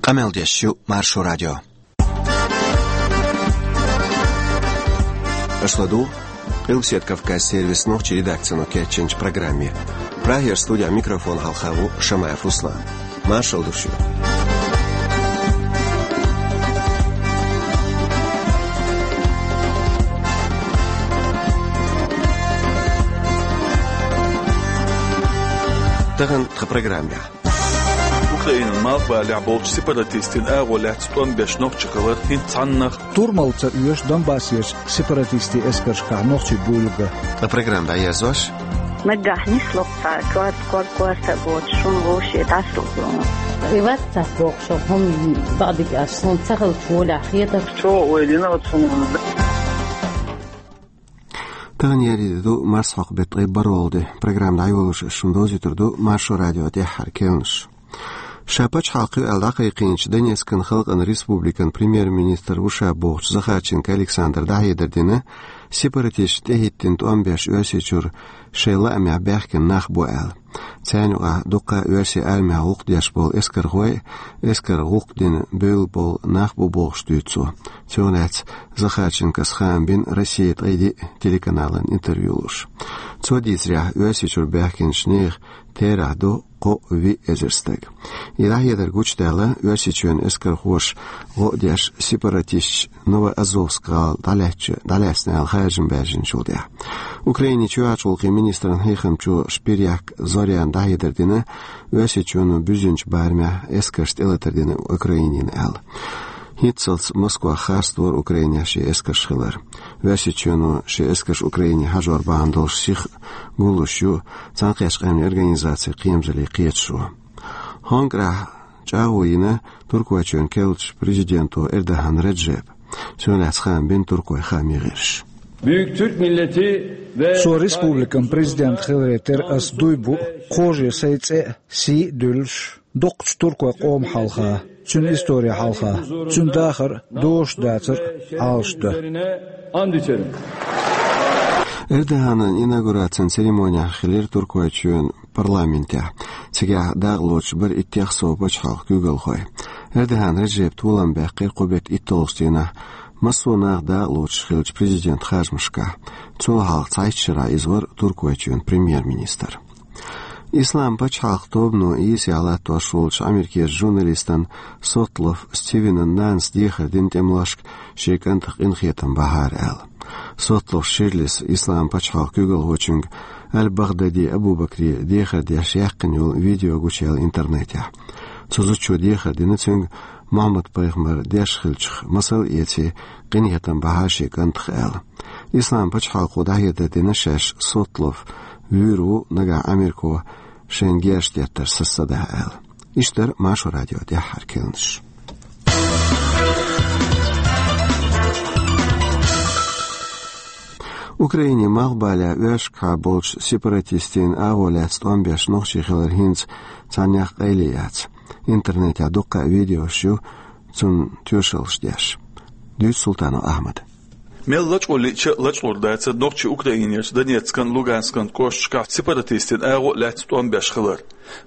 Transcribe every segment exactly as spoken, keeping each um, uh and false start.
Къамел деш ю Маршо радио. Аша ладугӀу Къилбаседа Кавказ сервисан нохчийн редакцино кечйинчу программе. Прагера студехь микрофон хьалха ву Шамаев Руслан. Маршалла ду шуьга. Тахана тхан программехь. Украинан малхбалехь болчу сепаратистийн агӀо лаьцна тӀом беш нохчий хилар хӀинца цхьаннах. Турмалца оьшу Донбассерчу сепаратистийн эскаршкахь нохчий буйла ган. Тхан программа дӀаерзош. Наггахь нисло цхьа, корта, кор-, корта а боцуш, шуна вовшийн дӀасалгӀа. И вац цхьацца бохуш, хӀума бакъдика аьлча, суна ца хилча волехь хетара. Чо ойла йина оцу хӀуманна. Тахана еарин де ду, марсхьокху беттан ткъе бархӀалгӀа де. Программа дӀайолош ас шуна довзуьйтур ду Маршо радион тӀаьххьара керланаш. Ша пачхьалкх ю аьлла дӀакхайкхийначу Донецкан халкъан республикан премьер-министр ву ша бохучу Захарченко Александра дӀахьедар дина, сепаратисташна тӀехӀиттина тӀом беш Оьрсийчуьра шайн лаамехь баьхкина нах бу аьлла. Царна юкъахь дуккха а оьрсийн армехь гӀуллакх деш болу эскархой а, эскаран гӀуллакх дина бевлла болу нах а бу бохуш дуьйцу цо. Цунах лаьцна Захарченкос хаам бина Россия ткъе диъ телеканална интервью луш. Цо дийцарехь, Оьрсийчуьра баьхкинчу нехан терахь ду кхо-виъ эзар стаг. И дӀахьедар гучудаьлла, Оьрсийчоьнан эскархоша гӀо а деш, сепаратисташа Новоазовск гӀала дӀалаьцна аьлла харжам баьржинчул тӀаьхьа. Украинан чоьхьарчу гӀуллакхийн министран хьехамчо Шпирьяк Зоряна дӀахьедар дина, Оьрсийчоьно буьззинчу барамехь эскарш тӀелатар дина Украинина аьлла. ХӀинццалц Москвах харцдора Украинехь шен эскарш хилар. Оьрсийчоьно шен эскарш Украине хьажор бахьана долуш сиха гуллуш ю Цхьаьнакхеттачу Къаьмнийн Организацин кхерамзаллин кхеташо. ХӀокху шарахь чӀагӀо йина Туркойчоьнан керлачу президенто Эрдоган Реджепа. Цунах лаьцна хаам бина туркойн хааман гӀирсаша. Büyük Türk milleti ve Со республикан президент хиларе терра ас дуй бу, кхажо сайн цӀе а, сий а дуьллуш, дукхачу туркойн къоман хьалха, цуьнан историн хьалха, цуьнан дахар дозуш дацар а, Ӏалашдан. Анд içerim. Эрдоганан инаугурацин церемонехь хилира Туркойчоьнан парламентехь. Цигахь дакъа лоцуш бара иттех сов пачхьалкхан куьйгалхой. Эрдоган Реджепа толам баьккхира кху беттан итталгӀачу дийнахь массо а наха дакъа лоцуш хиллачу президентан харжамашкахь. Цул хьалха цхьайтта шарахь иза вара Туркойчоьнан премьер-министр. Ислам пачхьалкх тобано йийсале латтош волчу Америкерчу журналистана Сотлов Стивенан нанас дехар дина тӀемалошка шен кӀантах къинхетам бахьара аьлла. Сотлов Ширлис Ислам пачхьалкхан куьйгалхочуьнга Аль-Багдади Абу-Бакре дехар деш яьккхина йолу видео гучуяьлла интернетехь. Цу зудчо дехар дина цуьнга Мухьаммад-пайхамар деш хиллачух масал а эций, къинхетам бахьара шен кӀантах аьлла. Ислам пачхьалкхо дӀахьедар дина шаьш Сотлов вуьйр ву нагахь Америко шайна герзаш деттар сацадахь аьлла. Иштта дара Маршо радион тӀаьххьара керланаш. Украинин малхбалехь Оьрсашкахь болчу сепаратистийн агӀо лаьцна тӀом беш нохчий хилар хӀинца цхьаннех къайле яц. Интернетехь дуккха а видеош ю цунна тоьшаллаш деш. Дуьйцу Султанов Ахьмада. Мел лачкъо лиъча а лачкъор дацара нохчий Украинерчу Донецкан, Луганскан кӀошташкахь сепаратистийн агӀо а лаьцна тӀом беш хилар.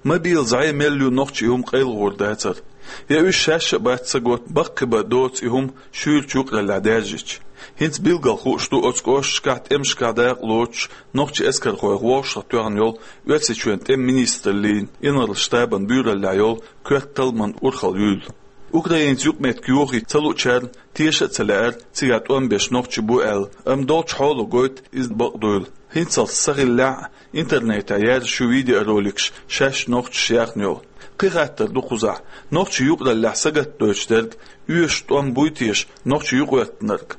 Мобил зӀе мел ю нохчий, и хӀума къайлахьор дацара. Я уьш шаьш а бац ца готта, баккхийбан доцу и хӀума шуьйрачу юкъараллехь даьржича. ХӀинца билггал хууш ду оцу кӀошташкахь тӀемашкахь дакъа лоцуш нохчийн эскархойх вовшахтоьхна йолу Оьрсийчоьнан тӀеман министраллин инарла штабан буьйраллехь йолу коьрта талламан урхалла юйла. Украинца юкъаметтиг йохийта ца луучарна теша а ца лаьара цигахь тӀом беш нохчий бу аьлла, амма долчу хьоло гойту иза бакъдуйла. ХӀинццалц ца хиллехь а, интернетехь яьржаш ю видеороликаш шаьш нохчаша яьхна йолу. Кхин хаттар ду кхузахь: нохчийн юкъараллехь сагатдойтуш дерг оьшуш тӀом буй теша нохчийн юкъахӀоьттинарг?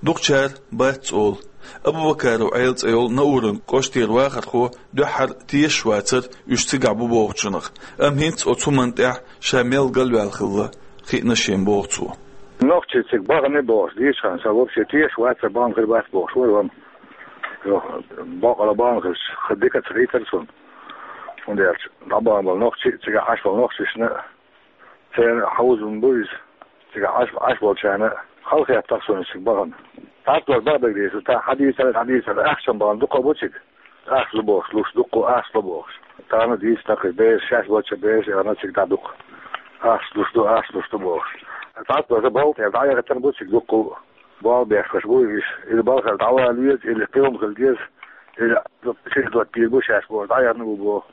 Дукхачара бац олу. Абубакаров Ӏела цӀе йолу Науран кӀоштера вахархо дуьххьара тешаш вацара уьш цигахь бу бохучунах, амма хӀинца оцу хӀуманна тӀехь ша мел галваьлла хилла хиъна шена боху цо. Нохчий цига бахана бохуш дийцча, сан вообще тешаш вацара, бахана хир бац бохуш вара вама. Бакъала бахана хилча, хӀара дика ца хийтара суна. ХӀунда аьлча дӀабахана болу нохчий, цигахь Ӏаш болу нохчашна церан хьовзам бу иза. Цигахь Ӏаш, Ӏаш болчарна хала хеттах суна цига бахана. ТӀаккха бакъдерг дийцар, тӀаккха хьадийцар, хьадийцар, ахчам бахана дукха бу цига. Ахча лу бохуш, луш дукха, ахча лу бохуш. Тахана дийцина кхин бераш, шаьш болчу бераш, яхана цига дӀа дукха. Ахча луш ду, ахча луш ду бохуш. ЦӀа а тӀе балтӀа дӀаяхийтина бу цига дуккха а. Бал бехкаш бу уьш, или балхара дӀавала веза, или кхин хӀума хила деза, или чуьра дӀабийр бу шаьш бохуш, дӀаяхна бу боху.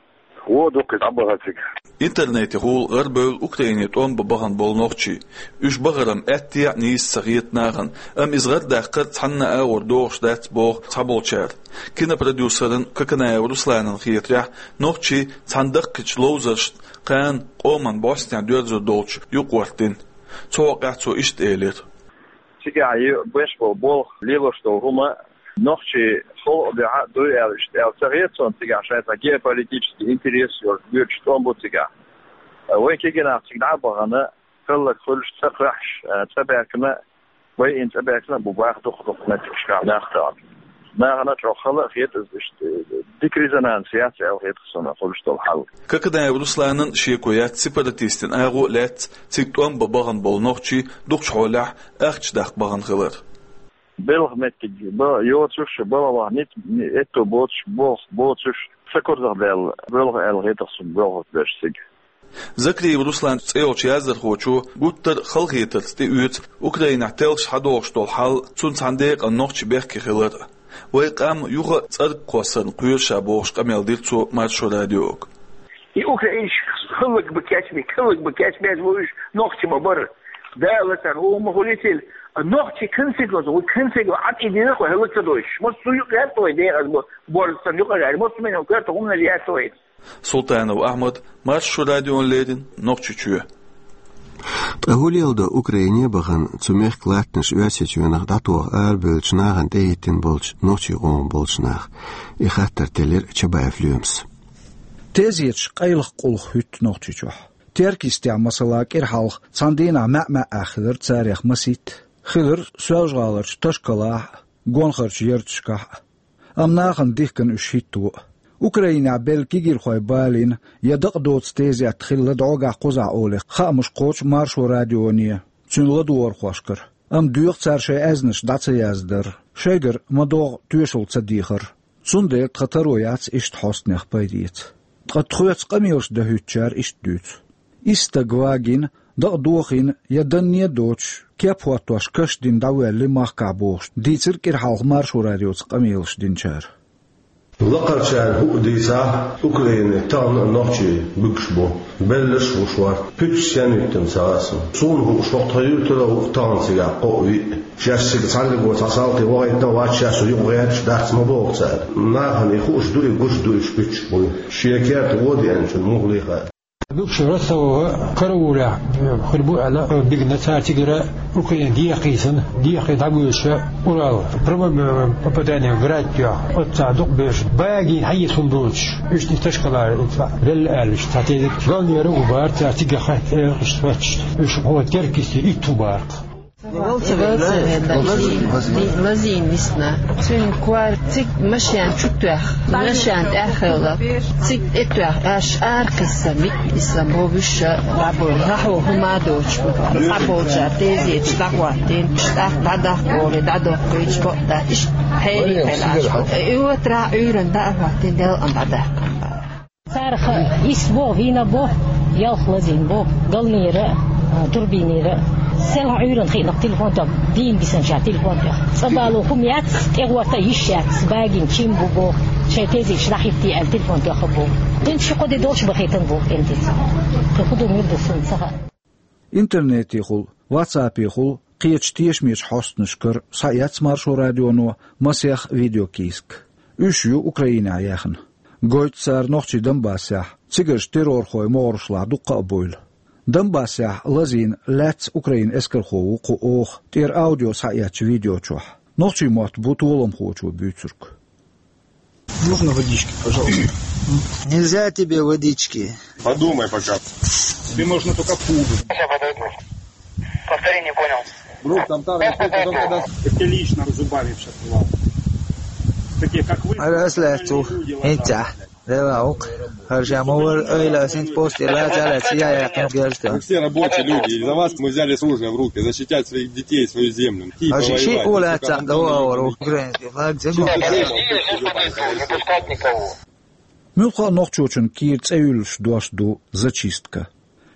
Вон дуккха дӀабахара цига. Интернетехула гӀарабевлла Украине тӀом бан бахана болу нохчий. Уьш бахаран аьттехьа а нийса ца хета нахана, амма иза гӀарадаккхар цхьанна а агӀор догӀуш дац боху цхьаболчара. Кинопродюсерна Коканаев Русланна хетарехь, нохчий цхьана даккхийчу ловзаршна кхана къоман бӀостанехьа доьрзур долчу юкъа гӀортийна. Цу хьокъехь цо иштта элира. Цигахь ю-, беш болу болх, лелош долу хӀума нохчий халкъан дуьхьа а дуй аьлла, иштта аьлла ца хета суна цигахь, шайн цхьа геополитический интерес йолуш, боьдуш тӀом бу цигахь. Вай кегийнах цига дӀа а бахана, хӀаллак хуьлуш, цӀа кхоьхьуш, цӀа баьхкина, вай и цӀа баьхкина а бу боху дукха-дукха меттигашкахь нах тахана. Нахана чӀогӀа хала а хета иза, иштта дика резонанс яц аьлла хета суна хуьлуш долу хьал. Коканаев Русланан шеко яц сепаратистийн агӀо а лаьцна цига тӀом бан бахана болу нохчий дукхачу хьолехь ахча даккха бахана хилар. Белхан меттиг бан йоцуш, балхах ницкъ, этто боцуш, болх боцуш, сакурзахдаьлла боьлху аьлла хета суна боьлхуш берш цига. Закриев Руслан цӀе йолчу яздархочо гуттар а халахетарца тӀеоьцу Украинехь теллаш схьадогӀуш долу хьал, цунна цхьана декъана нохчий бехке хилар а. Вайн къам юха а цӀарга кхоссарна кхоьру ша бохуш къамел дира цо Маршо радиога. И украинцаш хӀаллак бан кечбина, хӀаллак бан кечбеш бу уьш, нохчий ма бара. Дала царна хӀума хуьлийла. Нохчий конфликт лозу, вай конфликт Ӏад и дина кху хӀаллак ца дойтуш. Массо а юкъа гӀерта вай декъаза бу, борз санна юкъа гӀерта, массо а мел коьрта хӀуманаш гӀерта вай. Султанов Ахьмад, Маршо радиона леррина, Нохчийчоь. Ткъа хӀун леладо Украине а бахана, цу мехкан латтанаш Оьрсийчоьнах дӀатоха арабевллачу нахана тӀехӀиттина болчу нохчийн къоман болчу наха? И хаттар теллира Чабаев Лоьмас. Тезеташ къайлаха къуллух хӀуьтту Нохчийчохь. Теркйистехь, масала, кӀира хьалха цхьана дийнахь маьӀ-маьӀӀехь хилира царех масийтта. Хилира Соьлжа-ГӀаларчу Ташкалахь а, Гонхарчу ярташкахь а. Амма нахана дихкина уьш хӀитто а. Украинехь белла кегийрхой балийна я дакъа доцу тезет хилла дӀогахь-кхузахь олий хаамаш кхочу Маршо радионе, цуьнан ладогӀархошкара. Амма доьху цара шайн аьзнаш дӀа ца яздар, шайгара ма-догӀу тоьшалла ца дехар. Цундела тхан таро яц иштта хьостанех пайда эца. Ткъа тхоьца къамелаш дан хӀуьттучара иштта дуьйцу. Исс стаг вагийна, дакъа дохийна я данне а доцуш, кеп хӀоттош каш дина дӀавоьлли махкахь бохуш, дийцира кӀира хьалха Маршо радиоца къамелаш динчара. Лакхарчара хӀуъа дийцахь, Украине тахана а нохчий буьгуш бу. Белларш а бу шорта. Пуьташ сенвиттина ца хаьа суна. Суна хууш, хӀокху тхан юьртара а ву тахана цигахь кхоъ-виъ. Шаьш цига цхьаьннарг цхьа салти вахийтина а вац, шаьш цу юкъа гӀерташ дац ма боху цара. Нахана и хууш ду, и гуш ду, уьш пуьташ буй. Шен керта вон деанчунна муха лехар. Буьгуш РостовгӀа караулехь хир бу аьлла, бигна цара цигара Украина дехийсана, дехий дӀабоьдуша Урал. Прямое попадание в град тоьхна. Оццахь дукха бевзаш. Багийна хьан еза хӀума доцуш. Уьш и Ташкалара белла аьлла, уьш цхьа тезет. Галнера а ву бара цара цигахь хатта, элхаш, соцуш. Уьш хӀо Теркйисте итт ву бара. Волцеве, Лазин, Лазин висна. Цуьнан кор цига машен чу тоьхна, машен тӀехь хилла. Цига тӀе тоьхна, аш аракхиссина, миъ исса бовуьша дӀаболу. ХӀо хӀума а доцуш, дӀаболчара тезеташ дӀахӀоттийна, тӀаккха дӀадахка олий, дӀадоккхуьйтуш бакъда, иштта хьерий хилла. И отрахь Ӏуьйранна дӀа а хӀоттийна, делкъана дӀадаьккхина бара. Царах исс бо, вийна бо, ялх лазийна бо, галнера а, турбинера а. Селхана Ӏуьйранна хиъна телефон тоьхна, дийна бисинчара телефон тоьхна. Цкъа бало хӀума яц, тӀегӀорта йиш яц, багийна чим бу бо, шайн тезеташ дӀахӀиттий аьлла телефон тоьхна бо. Тхуна ши-кхо де долуш бахийтина бо, тӀемтица. Кхин хӀун ду, муьлха ду, суна ца хаьа. Интернетехула, ватсапехула, кхечу тешамечу хьостанашкара схьаэцна Маршо радионо масех видеокийсак. Уьш ю Украинехь яьхна. Гойту цара нохчий Донбассехь, цигарчу террорхойн могӀарашлахь дуккха а бевлла. Донбассехь лазийна лаьцна Украинан эскархо ву кху оха, тӀера аудио схьаэцначу видео чохь. Нохчийн мотт бу толамхочо буьйцург. Можно водички, пожалуйста? Нельзя тебе водички? Подумай пока. Тебе можно только пудру. Сейчас подойду. Повтори, не понял. Друг, там та... Как ты лично зубами сейчас рвал? Такие, как вы, нормальные люди, ложатся. Лела ук. Харжа мовар ойла синт пост ила цала ция я кем герста. Мы все рабочие люди, из-за вас мы взяли оружие в руки, защищать своих детей, свою землю. Идти повоевать. Муьлхха а нохчочун кийра цӀе юьллуш дош ду зачистка.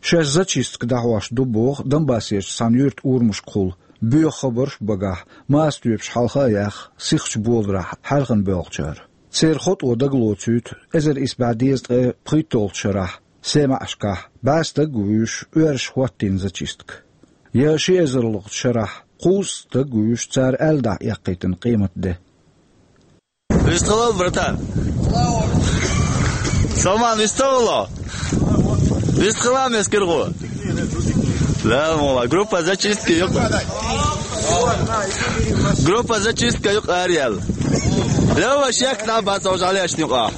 Шаьш зачистка дӀахьош ду боху Донбассерчу цхьана юьртан урамашкахула, боьха хабарш а багахь, маса тоьпаш хьалха а яьхна, сихачу боларахь хьаьрхина боьлхучара. Церан хӀотӀо дагалоцуьйту эзар исс бӀе дезткъе пхийтталгӀачу шарахь, СемаьӀашкахь, бӀе стаг а вуьйш, оьрсаша хӀоттийна зачистка. Я ши эзарлгӀачу шарахь, кхузткъа стаг а вуьйш, цара аьлла дӀа эккхийтина къематде. Вистхилал, братан. Салман, вистхилал. Вистхилал, мескиргу. Да, мола. Группа зачистки юкъ. Группа зачистка юкъ ариял. Лёва, шек на бац, уже леш нюкъа.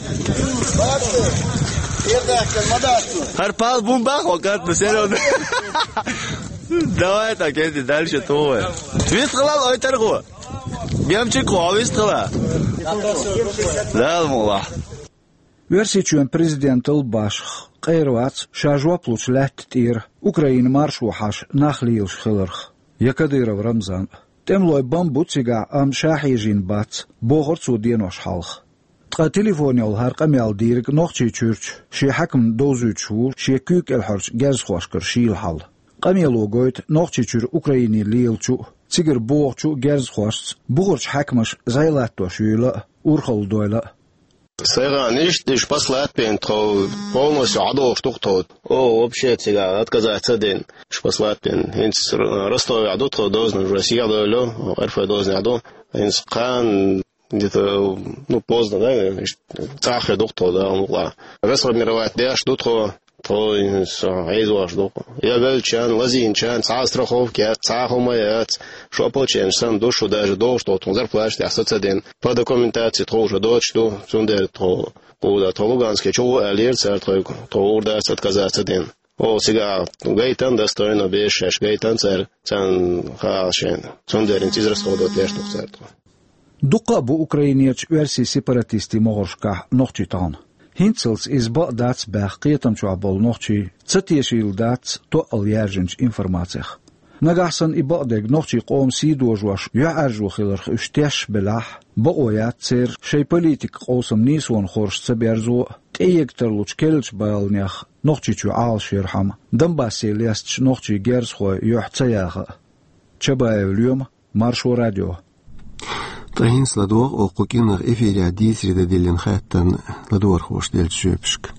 Хар пал бумба, хокат, ну, серьёзно. Давай так, эти дальше твой. Вистхилал, ой, таргу. Гемчик хьо вистхила. Дала мукъ лахь. Оьрсийчоьнан президентал башха къера вац ша жоп лучу лаьтта тӀера Украинан маршо хьаьжна нах лелаш хиларх, я Кадыров Рамзан. ТӀемалой бан бу цигахь, амма ша хьежийна бац, бохура цо денош хьалха. Ткъа телефонехула хӀара къамел дийриг Нохчийчуьрчу шен хьаькамна довзуьйтуш ву шен куьйга кӀелхьарчу герзахошкара шийла хьал. Къамело гойту Нохчийчуьра Украине лелачу а, цигара богӀучу а герзахошца бухарчу хьаькамаша зӀе латтош юйла а, урхалла дойла а. Сайгара иштта, уьш послать бина тхо полностью Ӏадохуш ду-кх тхо. О, вообще цигахь отказаться а дина, уьш послать бина. ХӀинца Р-, Ростовехь ду тхо дозанаш, уже сиха дойла, Р Ф дозанехь ду. ХӀинца кхана где-то, ну, поздно, да, наверное, иштта цхьаьна хир ду-кх тхо, да, мукъа. Расформировать деш ду тхо, тхо, со, хьийзош ду-кх. Я веллачарна, лазийначарна цхьа а страховка яц, цхьа а хӀума яц, шо ополченец санна ду, шу даже догӀуш тхо, тхуна зарплата тӀехь са ца дина. По документации тхо уже доцуш ду, цундела тхо, кху да, тхо Луганске чу гӀо аьллера цара тхоьга, тхо ур дац отказаться дина. О, цигахь гайтина достойно беш шаьш, гайтина цара, царна хаьа шайна. Цундела иза расходовать деш ду-кх цара тхо. Дуккха а бу Украинерчу оьрсийн сепаратистийн могӀаршкахь нохчий тахана. ХӀинццалц иза бакъ дац баьхна кхетам чохь болу нохчий ца тешийла дац тоъал яьржинчу информацих. Нагахь санна и бакъдерг нохчийн къоман сий дожош юьхьӀаьржо хиларх уьш тешаш белахь, бакъо яц церан шайн политикан къовсам нийсонан хорша ца берзо а, тӀеэга тарлучу керлачу баланех Нохчийчоь Ӏалаш ярхьама, Донбассе лестачу нохчийн герзахойн юьхь ца яха а. Чабаев Лоьма, Маршо радио. Ткъа хӀинца ладогӀа оха кху кӀирнах эфирехь дийцаре дан диллина хаттарна ладогӀархоша деллачу жоьпашка.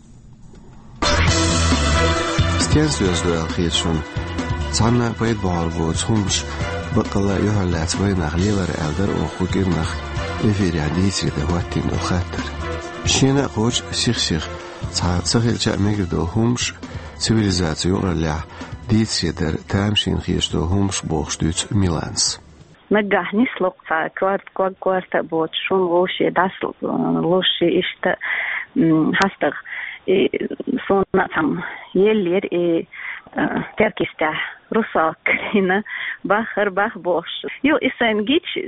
Стенна соьза ду аьлла хета шуна? Цхьанна а пайда бохьур боцу хӀуманаш баккъалла а юьхьарлаьцна вайнах лелар аьлла дара оха кху кӀирнах эфирехь дийцаре дан хӀоттийна долу хаттар. Шена а кхочу сих-сиха цхьа ца хилча а мегар долу хӀуманаш, цивилизацин юкъараллехь дийцаре дар тамашийна хеташ долу хӀуманаш бохуш дуьйцу Миланас. Наггахь нисло-кх цхьа корта, ког корта а боцуш, шуна вовшийн дӀасалуш ши иштта, м, хьастагӀа. И суна а цхьамма еллера и, а, Теркйистехь, «Русалка» карийна, баххара бах бохуш. Юха и сайна гича,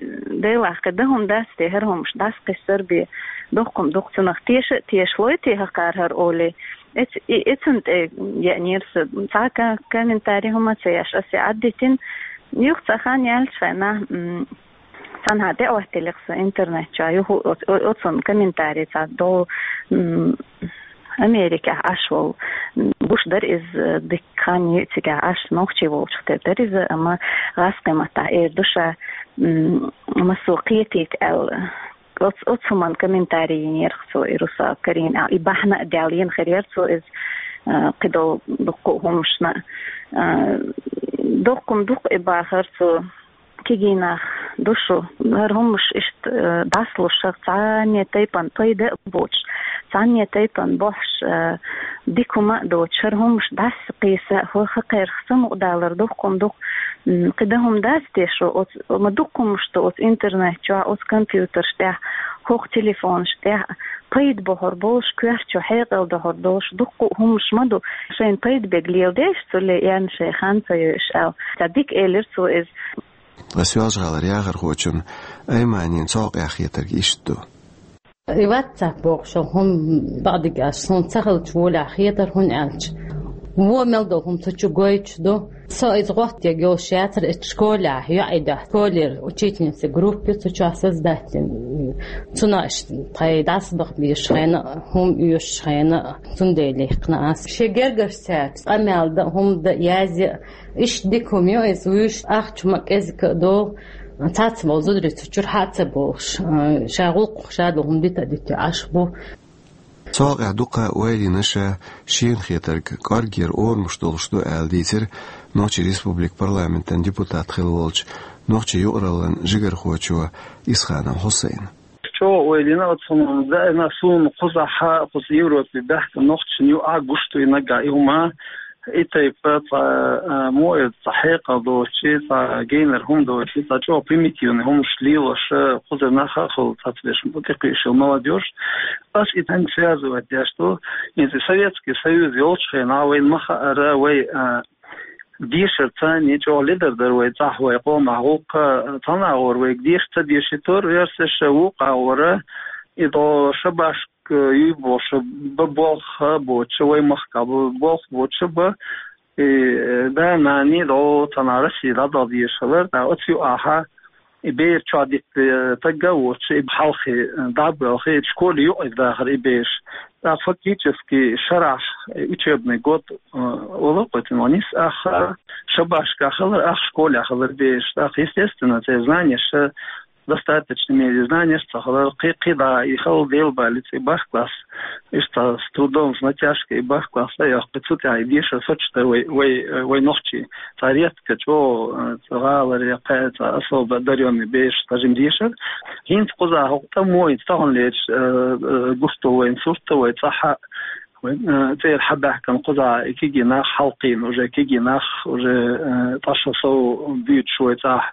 Делахь, кхин дан хӀума дац те, хӀара хӀуманаш дӀасакхиссар бен, дуккха-м дукха цунах теша а тешалой те хӀокхара хӀара олий. Эц-, и-, эцунна тӀе еанера сан, цхьа ка-, комментарий хӀума ца еш, аса и Ӏаддитина. Юха цхьа хан яьллачу хенахь, м, цхьанхьа тӀе а хӀоттийна-кх сан интернет чохь, юха о-, о-, оцунна комментарий цхьа долу, м, Америкехь Ӏаш волу, м, гуш дара иза, дикка хан йиъ цигахь Ӏаш, нохчий волчух тера дара иза, амма гӀазкхийн маттахь эр ду ша, м, массо кхетийта аьлла. Оц-, оцу хӀуманна комментарий йинера-кх цо, и «Русалка» карийна аьлла. И бахьана а даьлла йина хир яра цо иза, а, кхидолу дуккха а хӀуманашна. А, доккха-м дукха и бахара цо, кегий нах ду шу. ХӀара хӀуманаш иштта, а, дӀасалуш, хӀара цхьанне тайпана пайда а боцуш, цхьанне тайпана бохьуш, а, дика хӀума а доцуш, хӀара хӀуманаш дӀасакхийса, хӀо-, хӀокхарах самукъадалар доккха-м дукха. М, кхин дан хӀума дац те шу, оцу, ма дуккха хӀуманаш ду оцу интернет чохь, оцу компьютерш тӀехь, хӀокху телефонаш тӀехь, пайда бохьур болуш, коьрта чу хьекъал дохьур долуш, дуккха а хӀуманаш ма ду. Шайна пайда берг леладеш, цу ле-, яьнна шайн хан ца йойуш аьлла. Ца дика элира цо иза. Ткъа Соьлжа-ГӀалара яхархочун Айманин цхьа къаьхьа хетарг иштта ду. И WhatsApp бохуш хӀума бакъдерг аьлча, суна ца хилча волехь хетара, хӀунда аьлча Во мел долу хӀума цу чу гойтуш ду. Со иза гӀоттаеш йолуш яцара, иза школехь йоӀе дахьа, школера учительница группа цу чохь создать дина. Цунах тхайн дӀасабаха безаш хенахь, хӀума оьшуш хенахь, цундела яьккхина ас. Шен гергарчаьрца къамел дан, хӀума дан, язъян, иштта дика хӀума ю иза, вуьйш ахча ма кӀезиг а долу, цхьацца болу зударий цу чуьра хьа а ца бохуш, ша гӀуллакх, ша долу хӀума дита а дитина Ӏаш бу. Цу хьокъехь дукха ойла йина ша шена хетарг кӀоргера орамаш долуш ду аьлла дийцира Нохчийн Республикан парламентан депутат хилла волчу нохчийн юкъараллин жигархочо Исханов Хьусайна. ЧӀогӀа ойла йина оцу хӀуманна, даима суна кхузахь, кхуза Европе баьхкина нохчашна юкъахь гуш ду и наггахь и хӀума, и тайпа цхьа, а, мо иза цхьа хьекъал доцуш, цхьа генара хӀума доцуш, цхьа чӀогӀа примитивни хӀуманаш лелош, кхузара нах а хуьлу цхьацца деш, тӀекхуьуш йолу молодёжь. Ас и тайпа связывать деш ду, хӀинца Советский Союз йолчу хенахь вайна ма хаъара, вай, а, дешар царна чӀогӀа ледар дара вай цӀахь, вай къомах гӀуллакх, цхьана агӀор вайга деша ца дешийтира, оьрсаша вукху агӀора, и дӀо шабашка юй бохуш бан болх боцуш, вай махкахь бан болх боцуш бан, и да-нана дӀо цхьана Россия дӀадала дезаш хилар, тӀаккха оцу юкъахь и бер чохь дитта стаг а воцуш, и хьалхе дӀа а боьлхий, школе юкъара дахара и бераш. ТӀаккха фактически шарахь, учебный год, а, олу кхуьйтина ван нис ах, шабашкахь хилар ах, школехь хилар бераш. ТӀаккха, естественно, церан знанеш, достаточно мере знанеш ца хилар, кхи-, кхидӀа и хала Делан балица и бархӀ класс, иштта с трудом, с натяжкой и бархӀ класс а йоккху, цу тӀехь и дешар соцуш дара вай, вай, вай нохчий. Цхьа редко чӀогӀа, э, цхьа гӀаларе, кхаьа цхьа особо одарённый бераш тхажим дешар. ХӀинца кхузахь хӀокху тӀамо, хӀинца тахана леташ, э, э, гуш ду вайн сурт а, вай цӀахь а, вай, э, цӀера хьабаьхкина кхузахь и кегий нах хьалкхийна, уже кегий нах, уже, э, тӀе шо сов буьйцуш вай цӀахь,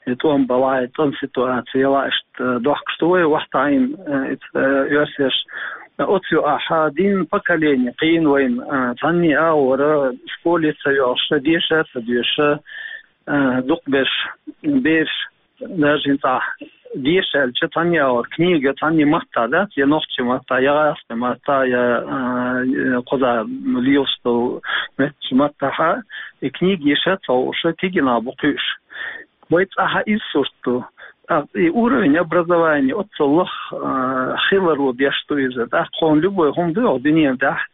и тӀом балахь, и тӀом ситуаци ялахь, иштта, э, дохкуш ду вай, вахтахь а, э, и, э, оьрсеш. Оцу юкъахь дийнна поколение кхийна вайна, а, цхьанний агӀора школе ца йогӀуш, деша а ца доьшуш, а, дукхахберш бераш, даже хӀинца деша аьлча, цхьанний агӀора книга, цхьанний маттахь дац, я нохчийн маттахь, я гӀазкхийн маттахь, я, а, кхузахь лелаш долу меттачу маттахь, и книга йиша а ца хууш, кегий нах бу кхуьуш. Вай цӀахь а иза сурт ду. ТӀаккха и уровень образования оццул лаха, а, хиларо беш ду иза. ТӀаккха хьуна любой хӀума ду оха дуьненан тӀехь,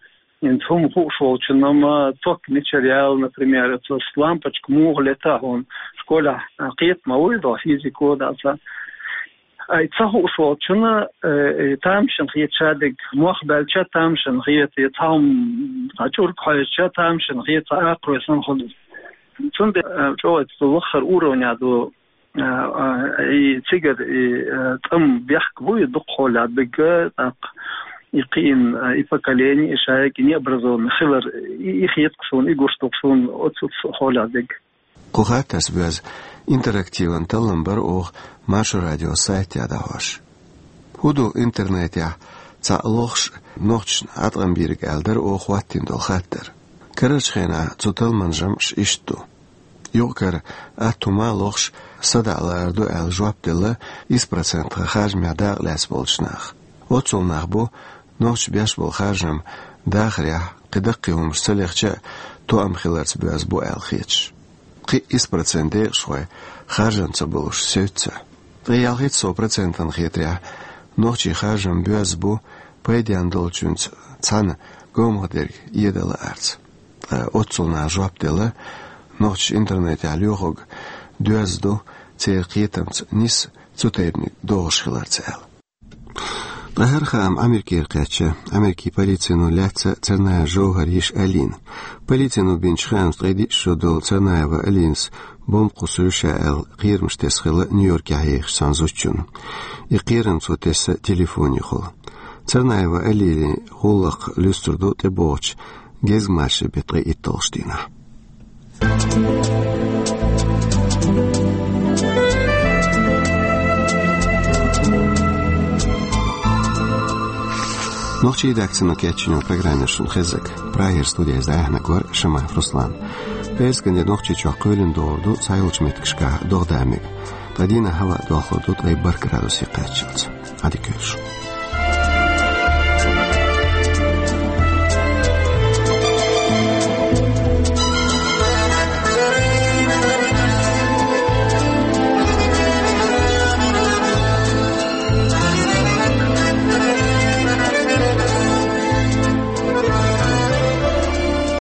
хӀинца хӀума хууш волчунна ма ток мичара яьлла, например, оцу лампочка муха лета хьуна школехь, а, кхета ма вуй доху физико а дац. Ай, ца хууш волчунна, э, э, тамашийна хета шадерг, мох баьлча тамашийна хета, я цхьа хӀума, цхьа чӀург хьоьжуча тамашийна хета, цхьа акхарой санна хуьлу. Цундела, э, чӀогӀа цу лаххара уровня ду, э, э, и цигара, и, э, тӀом бехк бу, и дукха хьолехь дерг, э, тӀаккха и кхиъна, э, и поколение, и шайга, и необразованный хилар, и, и хета-кх суна, и гуш ду-кх суна оцу, оцу хьолехь дерг. Кху хаттарца боьзна интерактиван таллам бар оха Маршо радион сайтехь дӀахьош. ХӀун ду интернетехь цхьаъ лохуш нохчашна Ӏаткъам бийриг аьлла дара оха хӀоттийна долу хаттар. Карарчу хенахь цу талламан жамӀаш иштта ду. Юкъ-кара атта хӀума а лохуш, садаӀа лаар ду аьлла жоп делла исс процент тхан харжамехь дакъа лаьцна болчу наха. Оццул нах бу, нохчаша беш болу харжам дахарехь, кхин даккхий хӀуманаш ца лехча а, тоам хиларца боьзна бу аьлла хеташ. Кхин исс процент декъашхой харжам ца болуш севцца. Ткъе ялхитта сов процентана хетарехь, нохчийн харжам боьзна бу, пайденна долчуьнца цхьаьна говмах дерг эда лаарца. Ткъа оццул наха жоп делла, нохчаша интернетехь лоьхург доьзна ду, церан кхетамца нисса цу тайпаниг дохуш хиларца аьлла. Ткъа хӀара хаам Америкера кхаьчна. Америкин полицино лаьцна Царнаев ЖовхӀара йиша Алина. Полицино бинчу хаамца, ткъе диъ шо долу Царнаева Алинас бомба кхуссур ю ша аьлла кхерамаш тесна хилла Нью-Йоркехь ехачу цхьана зудчунна. И кхерам цо тесна телефонехула. Царнаева Алинин гӀуллакх луьстур ду тӀебогӀучу гезгмашин беттан ткъе итталгӀачу дийнахь. Нохчийн редакцино кечйина программа яра шуна хезнарг. Прагера студехь иза дӀаяьхьнарг вара Шамаев Руслан. Пхьарсган де Нохчийчохь кхоьлина догӀур ду цхьайолчу меттигашкахь догӀа-да мега. Ткъа дийнахь хӀаваъ дохлур ду ткъе бархӀ градусе кхаччалц. Ӏадика йойла шун.